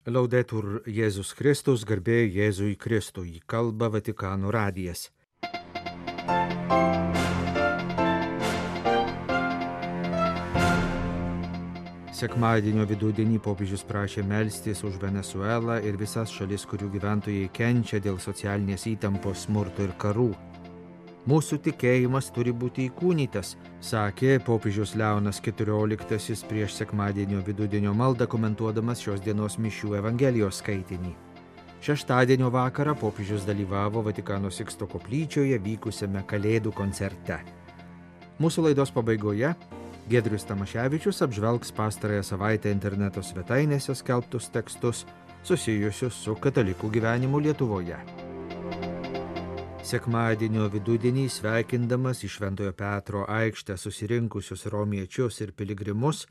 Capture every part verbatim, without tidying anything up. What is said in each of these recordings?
Laudetur Jėzus Kristus, garbė Jėzui Kristui, kalba Vatikano radijas. Sekmadienio vidudienį popiežius prašė melstis už Venesuelą ir visas šalis, kurių gyventojai kenčia dėl socialinės įtampos, smurto ir karų. Mūsų tikėjimas turi būti įkūnytas, sakė popiežius Leonas keturioliktasis prieš sekmadienio vidudienio maldą komentuodamas šios dienos mišių Evangelijos skaitinį. Šeštadienio vakarą popiežius dalyvavo Vatikano Siksto koplyčioje vykusiame Kalėdų koncerte. Mūsų laidos pabaigoje Giedrius Tamaševičius apžvelgs pastarąją savaitę interneto svetainėse skelbtus tekstus susijusius su katalikų gyvenimu Lietuvoje. Sekmadienio vidudienį sveikindamas į Šventojo Petro aikštę susirinkusius romiečius ir piligrimus,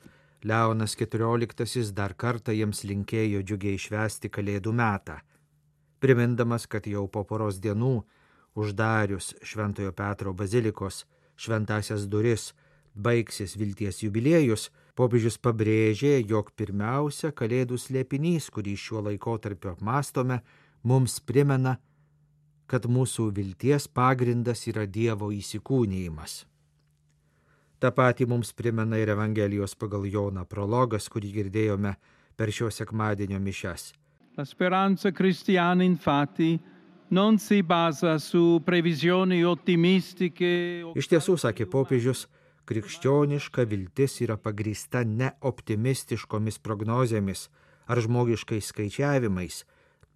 Leonas keturioliktasis dar kartą jiems linkėjo džiugiai švęsti Kalėdų metą. Primindamas, kad jau po poros dienų, uždarius Šventojo Petro bazilikos šventąsias duris, baigsis vilties jubiliejus, popiežius pabrėžė, jog pirmiausia Kalėdų slėpinys, kurį šiuo laikotarpiu apmąstome, mums primena, kad mūsų vilties pagrindas yra Dievo įsikūnijimas. Ta pati mums primena ir Evangelijos pagal Joną prologas, kurį girdėjome per šio sekmadienio mišias. La speranza cristiana infatti non si basa su previsioni ottimistiche. Iš tiesų, sakė popiežius, krikščioniška viltis yra pagrįsta ne optimistiškomis prognozėmis ar žmogiškais skaičiavimais,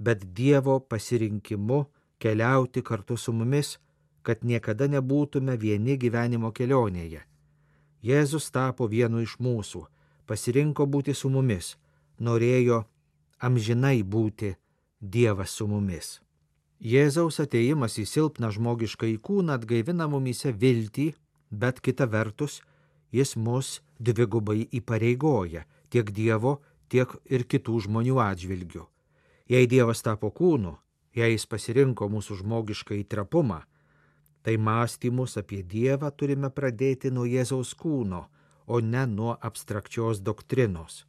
bet Dievo pasirinkimu keliauti kartu su mumis, kad niekada nebūtume vieni gyvenimo kelionėje. Jėzus tapo vienu iš mūsų, pasirinko būti su mumis, norėjo amžinai būti Dievas su mumis. Jėzaus atėjimas į silpną žmogišką kūną atgaivina mumyse viltį, bet kita vertus, jis mus dvigubai įpareigoja tiek Dievo, tiek ir kitų žmonių atžvilgių. Jei Dievas tapo kūnu, jei jis pasirinko mūsų žmogišką įtrapumą, tai mąstymus apie Dievą turime pradėti nuo Jėzaus kūno, o ne nuo abstrakčios doktrinos.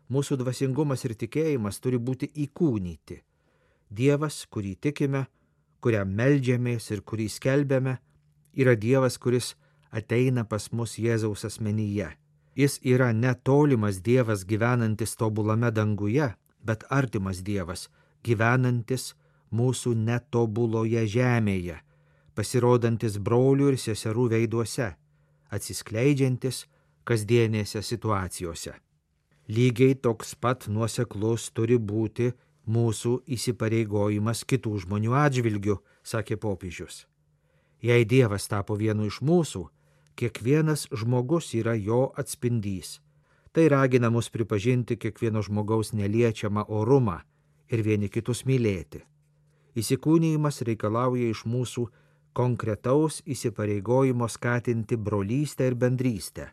Mūsų dvasingumas ir tikėjimas turi būti įkūnyti. Dievas, kurį tikime, kuriam meldžiamės ir kurį skelbiame, yra Dievas, kuris ateina pas mus Jėzaus asmenyje. Jis yra netolimas Dievas gyvenantis tobulame danguje, bet artimas Dievas, gyvenantis mūsų netobuloje žemėje, pasirodantis brolių ir seserų veiduose, atsiskleidžiantis kasdienėse situacijose. Lygiai toks pat nuoseklus turi būti mūsų įsipareigojimas kitų žmonių atžvilgių, sakė popiežius. Jei Dievas tapo vienu iš mūsų, kiekvienas žmogus yra jo atspindys. Tai ragina mus pripažinti kiekvieno žmogaus neliečiamą orumą ir vieni kitus mylėti. Įsikūnijimas reikalauja iš mūsų konkretaus įsipareigojimo skatinti brolystę ir bendrystę,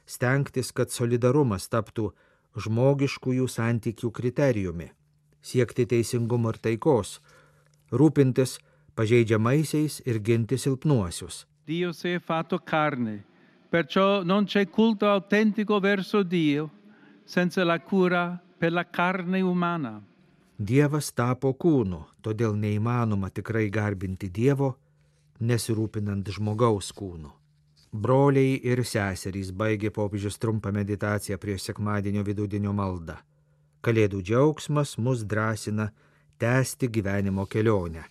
stengtis, kad solidarumas taptų žmogiškųjų santykių kriterijumi, siekti teisingumo ir taikos, rūpintis pažeidžiamaisiais ir ginti silpnuosius. Dio si è fatto carne, perciò non c'è culto autentico verso Dio senza la cura per la carne umana. Dievas tapo kūnu, todėl neįmanoma tikrai garbinti Dievo, nesirūpinant žmogaus kūnu. Broliai ir seserys, baigė popiežius trumpą meditaciją prieš sekmadienio vidudienio maldą. Kalėdų džiaugsmas mus drąsina tęsti gyvenimo kelionę.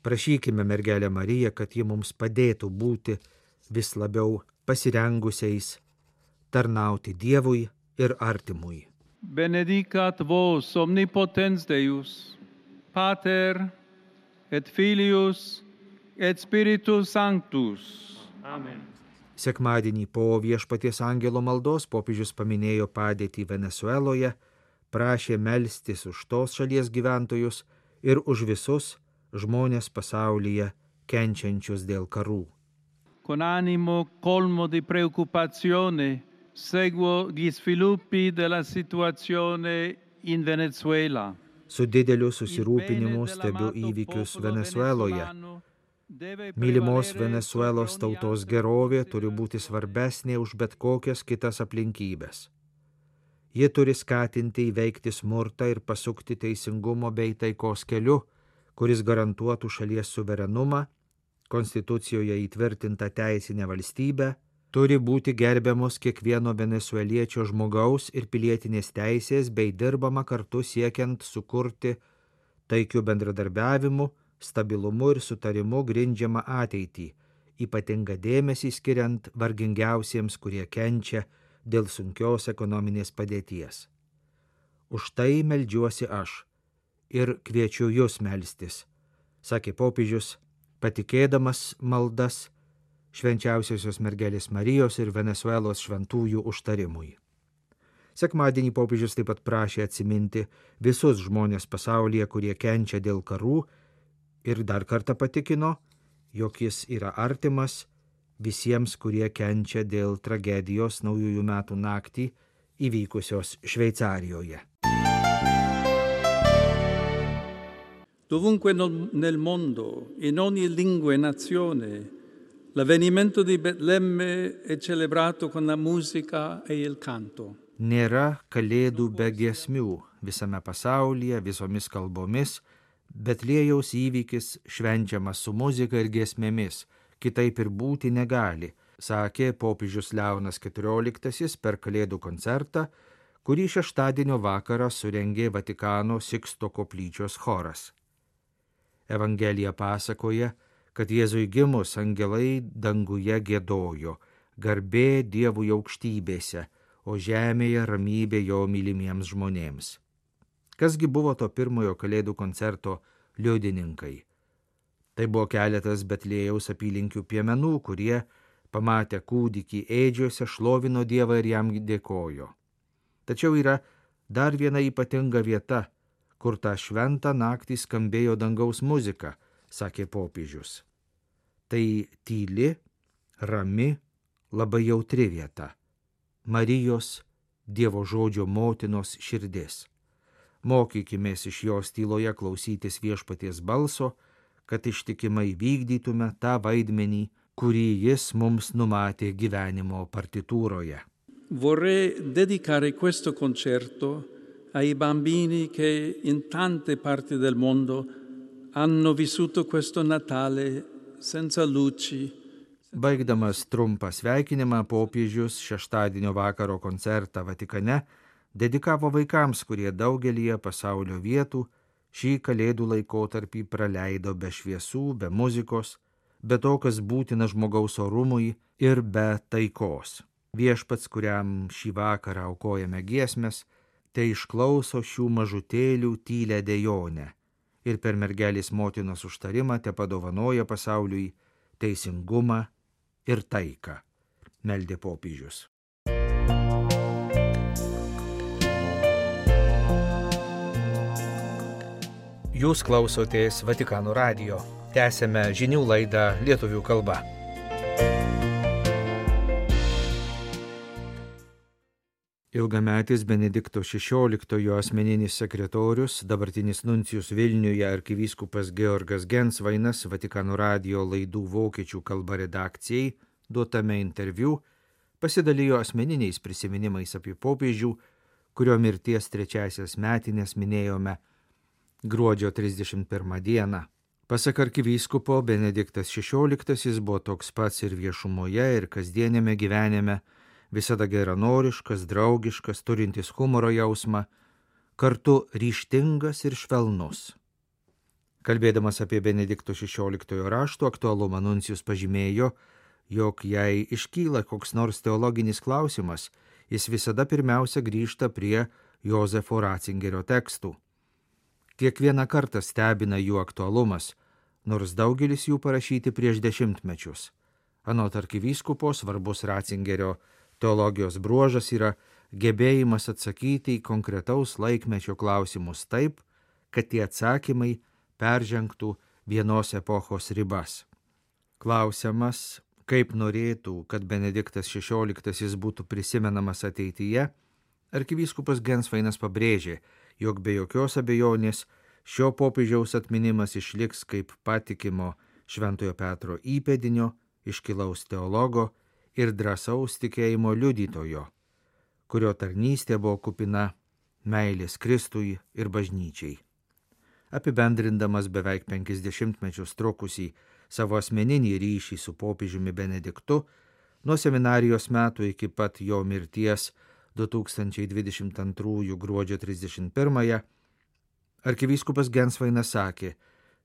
Prašykime mergelę Mariją, kad ji mums padėtų būti vis labiau pasirengusiais tarnauti Dievui ir artimui. Benedicat vos omnipotens Deus, Pater et Filius et Spiritus Sanctus. Amen. Sekmadienį po Viešpaties angelo maldos popiežius paminėjo padėtį Venesueloje, prašė melstis už tos šalies gyventojus ir už visus žmonės pasaulyje kenčiančius dėl karų. Con animo colmo di preoccupazione seguo gli sviluppi della situazione in Venezuela. Su dideliu susirūpinimu stebiu įvykius Venesueloje. Mylimos Venesuelos tautos gerovė turi būti svarbesnė už bet kokias kitas aplinkybės. Ji turi skatinti įveikti smurtą ir pasukti teisingumo bei taikos keliu, kuris garantuotų šalies suverenumą, konstitucijoje įtvirtintą teisinę valstybę, turi būti gerbiamos kiekvieno venesueliečio žmogaus ir pilietinės teisės bei dirbama kartu siekiant sukurti taikių bendradarbiavimų, stabilumu ir sutarimu grindžiamą ateitį, ypatingą dėmesį skiriant vargingiausiems, kurie kenčia dėl sunkios ekonominės padėties. Už tai meldžiuosi aš ir kviečiu jūs melstis, sakė popiežius, patikėdamas maldas švenčiausiosios mergelės Marijos ir Venesuelos šventųjų užtarimui. Sekmadienį popiežius taip pat prašė atsiminti visus žmonės pasaulyje, kurie kenčia dėl karų, ir dar kartą patikino, jog jis yra artimas visiems, kurie kenčia dėl tragedijos naujųjų metų naktį įvykusios Šveicarijoje. Dovunque nel mondo, in ogni lingua e nazione, l'avvenimento di Betlemme è celebrato con la musica e il canto. Nėra kalėdų be giesmių visame pasaulyje, visomis kalbomis, Betliejaus įvykis švenčiamas su muzika ir giesmėmis, kitaip ir būti negali, sakė popiežius Leonas keturioliktasis per kalėdų koncertą, kurį šeštadienio vakarą surengė Vatikano Siksto koplyčios choras. Evangelija pasakoja, kad Jėzui gimus angelai danguje giedojo, garbė Dievui aukštybėse, o žemėje ramybė jo mylimiems žmonėms. Kasgi buvo to pirmojo kalėdų koncerto liudininkai? Tai buvo keletas Betliejaus apylinkių piemenų, kurie, pamatę kūdikį ėdžiuose, šlovino Dievą ir jam dėkojo. Tačiau yra dar viena ypatinga vieta, kur tą šventą naktį skambėjo dangaus muzika, sakė popiežius. Tai tyli, rami, labai jautri vieta. Marijos, Dievo žodžio motinos širdis. Mokykimės iš jos tyloje klausytis viešpaties balso, kad ištikimai vykdytume tą vaidmenį, kurį jis mums numatė gyvenimo partitūroje. Vorrei dedicare questo concerto ai bambini che in tante parti del mondo hanno vissuto questo Natale senza luci. Baigdamas trumpą sveikinimą, popiežius šeštadienio vakaro koncertą Vatikane dedikavo vaikams, kurie daugelyje pasaulio vietų šį kalėdų laikotarpį praleido be šviesų, be muzikos, be to, kas būtina žmogaus orumui ir be taikos. Viešpats, kuriam šį vakarą aukojame giesmes, tai išklauso šių mažutėlių tylę dejonę ir per mergelės motinos užtarimą te padovanoja pasauliui teisingumą ir taiką, meldė popiežius. Jūs klausotės Vatikano radijo. Tęsėme žinių laidą lietuvių kalba. Ilgametis Benedikto šešioliktojo asmeninis sekretorius, dabartinis nuncijus Vilniuje arkivyskupas Georgas Gensvainas Vatikano radijo laidų vokiečių kalba redakcijai duotame interviu pasidalijo asmeniniais prisiminimais apie popiežių, kurio mirties trečiasias metinės minėjome gruodžio trisdešimt pirmą dieną. Pasak arkivyskupo, Benediktas šešioliktasis buvo toks pats ir viešumoje, ir kasdienėme gyvenime, visada geranoriškas, draugiškas, turintis humoro jausmą, kartu ryžtingas ir švelnus. Kalbėdamas apie Benedikto šešioliktojo rašto aktualumą, nuncijus pažymėjo, jog jei iškyla koks nors teologinis klausimas, jis visada pirmiausia grįžta prie Jozefo Ratzingerio tekstų. Kiekvieną kartą stebina jų aktualumas, nors daugelis jų parašyti prieš dešimtmečius. Anot arkivyskupo, svarbus Ratzingerio teologijos bruožas yra gebėjimas atsakyti į konkretaus laikmečio klausimus taip, kad tie atsakymai peržengtų vienos epochos ribas. Klausiamas, kaip norėtų, kad Benediktas šešioliktasis būtų prisimenamas ateityje, arkivyskupas Gensvainas pabrėžė, jog be jokios abejonės šio popiežiaus atminimas išliks kaip patikimo Šventojo Petro įpėdinio, iškilaus teologo ir drąsaus tikėjimo liudytojo, kurio tarnystė buvo kupina meilės Kristui ir bažnyčiai. Apibendrindamas beveik penkis dešimtmečius trukusį savo asmeninį ryšį su popiežiumi Benediktu, nuo seminarijos metų iki pat jo mirties du tūkstančiai dvidešimt antrųjų gruodžio trisdešimt pirmąją, arkivyskupas Gensvainas sakė,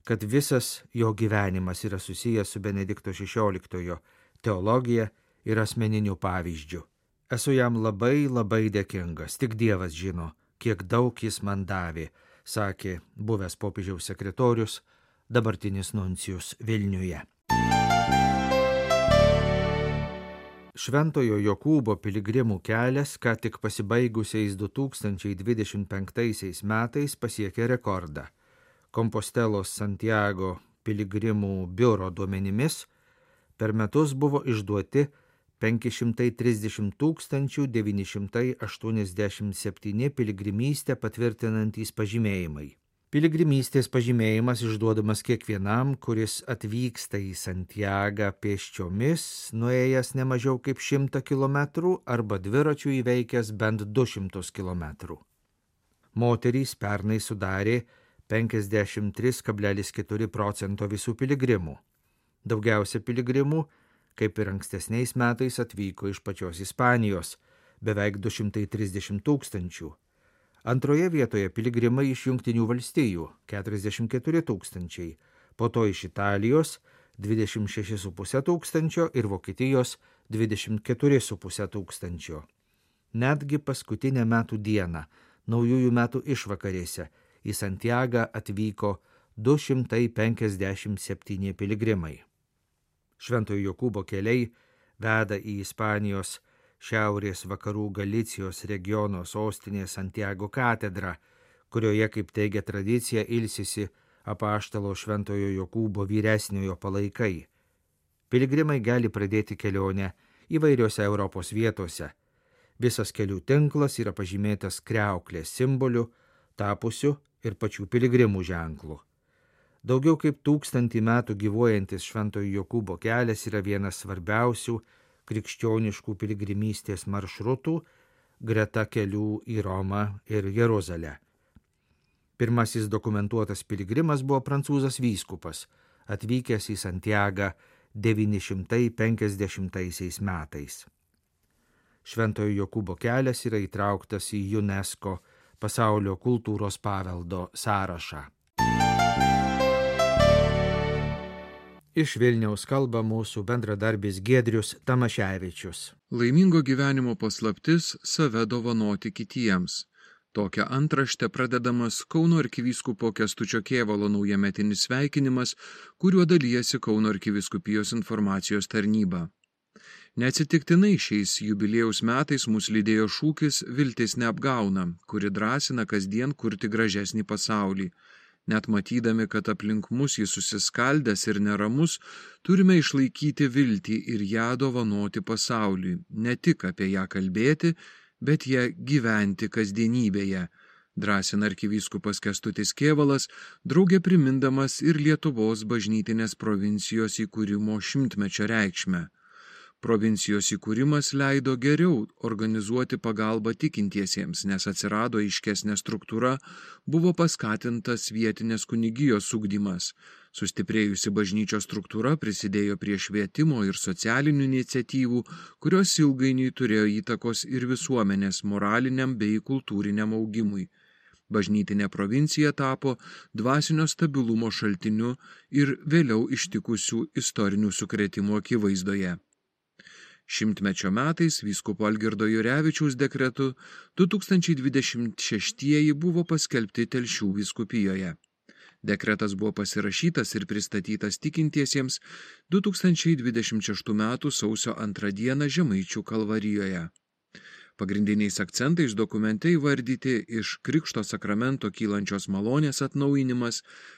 kad visas jo gyvenimas yra susijęs su Benedikto šešioliktojo teologija ir asmeniniu pavyzdžiu. Esu jam labai labai dėkingas, tik Dievas žino, kiek daug jis man davė, sakė buvęs popiežiaus sekretorius, dabartinis nuncijus Vilniuje. Šventojo Jokūbo piligrimų kelias, ką tik pasibaigusiais du tūkstančiai dvidešimt penktaisiais metais pasiekė rekordą. Kompostelos Santiago piligrimų biuro duomenimis per metus buvo išduoti penki šimtai trisdešimt tūkstančių devyni šimtai aštuoniasdešimt septyni piligrimystę patvirtinantys pažymėjimai. Piligrimystės pažymėjimas išduodamas kiekvienam, kuris atvyksta į Santiagą pėsčiomis, nuėjęs ne mažiau kaip šimtą kilometrų arba dviračių įveikęs bent du šimtus kilometrų. Moterys pernai sudarė penkiasdešimt trys kablelis keturi procento visų piligrimų. Daugiausia piligrimų, kaip ir ankstesniais metais, atvyko iš pačios Ispanijos, beveik du šimtai trisdešimt tūkstančių. Antroje vietoje piligrimai iš Jungtinių valstijų – keturiasdešimt keturi tūkstančiai, po to iš Italijos – dvidešimt šeši su puse tūkstančio ir Vokietijos – dvidešimt keturi su puse tūkstančio. Netgi paskutinę metų dieną, naujųjų metų išvakarėse, į Santiagą atvyko du šimtai penkiasdešimt septyni piligrimai. Šventojo Jokūbo keliai veda į Ispanijos šiaurės vakarų Galicijos regiono sostinė Santiago katedrą, kurioje, kaip teigia tradicija, ilsisi apaštalo Šventojo Jokūbo vyresniojo palaikai. Piligrimai gali pradėti kelionę įvairiose Europos vietose. Visas kelių tinklas yra pažymėtas kriauklės simboliu, tapusiu ir pačių piligrimų ženklų. Daugiau kaip tūkstantį metų gyvuojantis Šventojo Jokūbo kelias yra vienas svarbiausių krikščioniškų piligrimystės maršrutų greta kelių į Romą ir Jeruzalę. Pirmasis dokumentuotas piligrimas buvo prancūzas vyskupas, atvykęs į Santiagą devyni šimtai penkiasdešimtaisiais metais. Šventojo Jokūbo kelias yra įtrauktas į UNESCO pasaulio kultūros paveldo sąrašą. Iš Vilniaus kalba mūsų bendradarbis Giedrius Tamaševičius. Laimingo gyvenimo paslaptis – save dovanoti kitiems. Tokią antraštę pradedamas Kauno arkivyskupo Kęstučio Kėvalo naujametinis sveikinimas, kuriuo dalijasi Kauno arkivyskupijos informacijos tarnyba. Neatsitiktinai šiais jubiliejaus metais mus lydėjo šūkis Viltis neapgauna, kuri drąsina kasdien kurti gražesnį pasaulį. Net matydami, kad aplink mus jis susiskaldęs ir neramus, turime išlaikyti viltį ir ją dovanoti pasauliui, ne tik apie ją kalbėti, bet ją gyventi kasdienybėje, drąsina arkivyskupas Kęstutis Kėvalas, draugė primindamas ir Lietuvos bažnytinės provincijos įkūrimo šimtmečio reikšmę. Provincijos įkūrimas leido geriau organizuoti pagalbą tikintiesiems, nes atsirado aiškesnė struktūra, buvo paskatintas vietinės kunigijos ugdymas. Sustiprėjusi bažnyčios struktūra prisidėjo prie švietimo ir socialinių iniciatyvų, kurios ilgainiui turėjo įtakos ir visuomenės moraliniam bei kultūriniam augimui. Bažnytinė provincija tapo dvasinio stabilumo šaltiniu ir vėliau ištikusių istorinių sukrėtimų akivaizdoje. Šimtmečio metais vyskupo Algirdo Jurevičiaus dekretu du tūkstančiai dvidešimt šeštieji buvo paskelbti Telšių vyskupijoje. Dekretas buvo pasirašytas ir pristatytas tikintiesiems du tūkstančiai dvidešimt šeštų metų sausio antrą dieną Žemaičių Kalvarijoje. Pagrindiniais akcentais dokumente įvardyti iš Krikšto sakramento kylančios malonės atnaujinimas,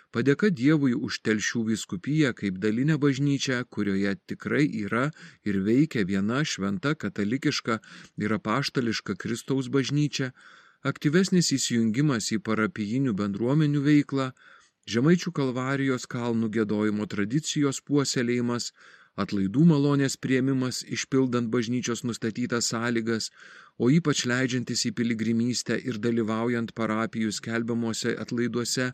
padėka Dievui už Telšių vyskupiją kaip dalinę bažnyčią, kurioje tikrai yra ir veikia viena šventa katalikiška ir apaštališka Kristaus bažnyčia, aktyvesnis įsijungimas į parapijinių bendruomenių veiklą, Žemaičių Kalvarijos kalnų giedojimo tradicijos puoselėjimas, atlaidų malonės priėmimas išpildant bažnyčios nustatytas sąlygas, o ypač leidžiantis į piligrimystę ir dalyvaujant parapijų skelbiamuose atlaiduose,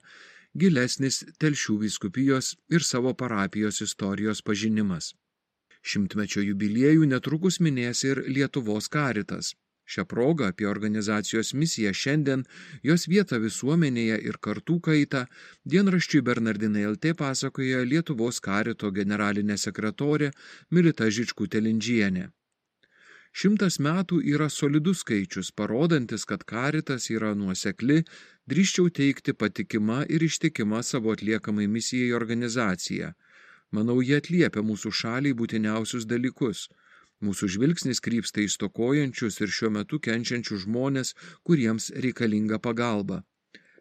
gilesnis Telšių vyskupijos ir savo parapijos istorijos pažinimas. Šimtmečio jubiliejų netrukus minės ir Lietuvos Karitas. Šią progą apie organizacijos misiją šiandien, jos vietą visuomenėje ir kartų kaitą dienraščiui Bernardinai L T pasakoja Lietuvos Karito generalinė sekretorė Milita Žičkutė-Lindžienė. Šimtas metų yra solidus skaičius, parodantis, kad Karitas yra nuosekli, drįsčiau teikti patikima ir ištikima savo atliekamai misijai organizacija. Manau, jie atliepia mūsų šaliai būtiniausius dalykus. Mūsų žvilgsnis krypsta į stokojančius ir šiuo metu kenčiančius žmonės, kuriems reikalinga pagalba.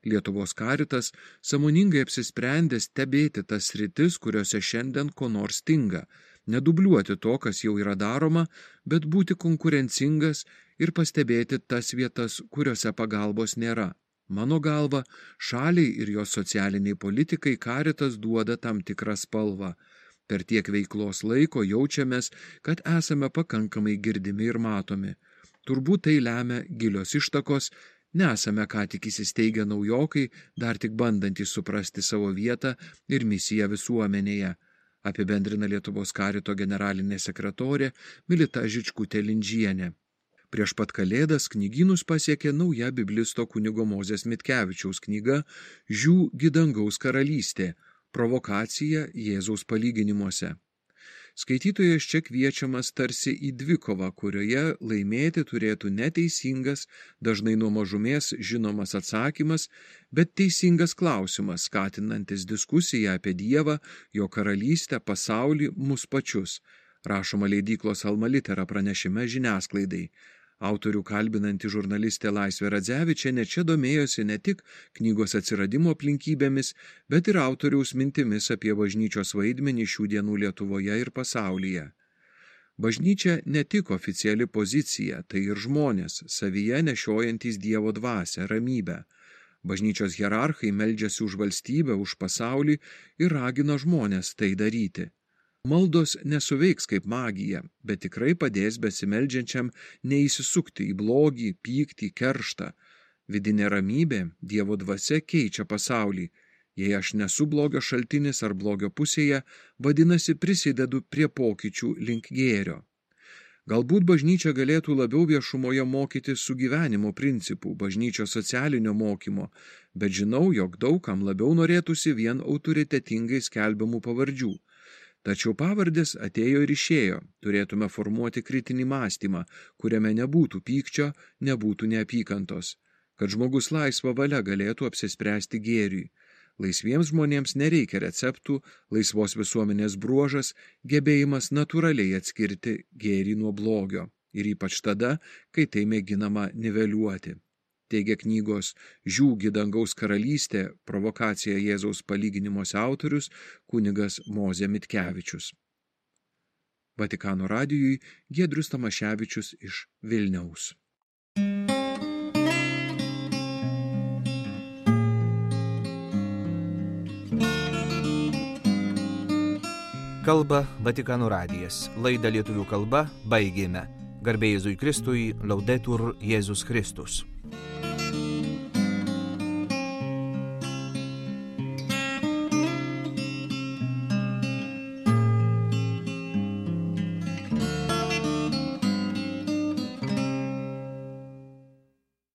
Lietuvos Karitas sąmoningai apsisprendė stebėti tas sritis, kuriuose šiandien ko nors stinga, nedubliuoti to, kas jau yra daroma, bet būti konkurencingas ir pastebėti tas vietas, kuriuose pagalbos nėra. Mano galva, šaliai ir jos socialiniai politikai Karitas duoda tam tikrą spalvą. Per tiek veiklos laiko jaučiamės, kad esame pakankamai girdimi ir matomi. Turbūt tai lemia gilios ištakos, nesame ką tik įsisteigę naujokai, dar tik bandantys suprasti savo vietą ir misiją visuomenėje, apibendrina Lietuvos Karito generalinė sekretorė Milita Žičkutė-Lindžienė. Prieš pat Kalėdas knygynus pasiekė nauja biblisto kunigo Mozės Mitkevičiaus knyga Žiū gidangaus karalystė. Provokacija Jėzaus palyginimuose. Skaitytojas čia kviečiamas tarsi į dvikovą, kurioje laimėti turėtų neteisingas, dažnai nuo mažumės žinomas atsakymas, bet teisingas klausimas, skatinantis diskusiją apie Dievą, jo karalystę, pasaulį, mus pačius, rašoma leidyklos Alma Litera pranešime žiniasklaidai. Autorių kalbinanti žurnalistė Laisvė Radzevičienė čia domėjosi ne tik knygos atsiradimo aplinkybėmis, bet ir autoriaus mintimis apie bažnyčios vaidmenį šių dienų Lietuvoje ir pasaulyje. Bažnyčia ne tik oficiali pozicija, tai ir žmonės, savyje nešiojantys Dievo dvasią, ramybę. Bažnyčios hierarchai meldžiasi už valstybę, už pasaulį ir ragina žmonės tai daryti. Maldos nesuveiks kaip magija, bet tikrai padės besimeldžiančiam neįsisukti į blogį, pyktį, kerštą. Vidinė ramybė, Dievo dvasia keičia pasaulį. Jei aš nesu blogio šaltinis ar blogio pusėje, vadinasi prisidedu prie pokyčių link gėrio. Galbūt bažnyčia galėtų labiau viešumoje mokyti sugyvenimo principų, bažnyčios socialinio mokymo, bet žinau, jog daugam labiau norėtųsi vien autoritetingai skelbiamų pavardžių. Tačiau pavardės atėjo ir išėjo, turėtume formuoti kritinį mąstymą, kuriame nebūtų pykčio, nebūtų neapykantos, kad žmogus laisva valia galėtų apsispręsti gėriui. Laisviems žmonėms nereikia receptų, laisvos visuomenės bruožas, gebėjimas natūraliai atskirti gėrį nuo blogio, ir ypač tada, kai tai mėginama niveliuoti. Teigia knygos Žiū gidangaus karalystė, provokacija Jėzaus palyginimuose autorius kunigas Mozė Mitkevičius. Vatikano radijui Giedrius Tamaševičius iš Vilniaus. Kalba Vatikano radijas. Laidą lietuvių kalba baigėme. Garbė Jėzui Kristui, Laudetur Jėzus Kristus.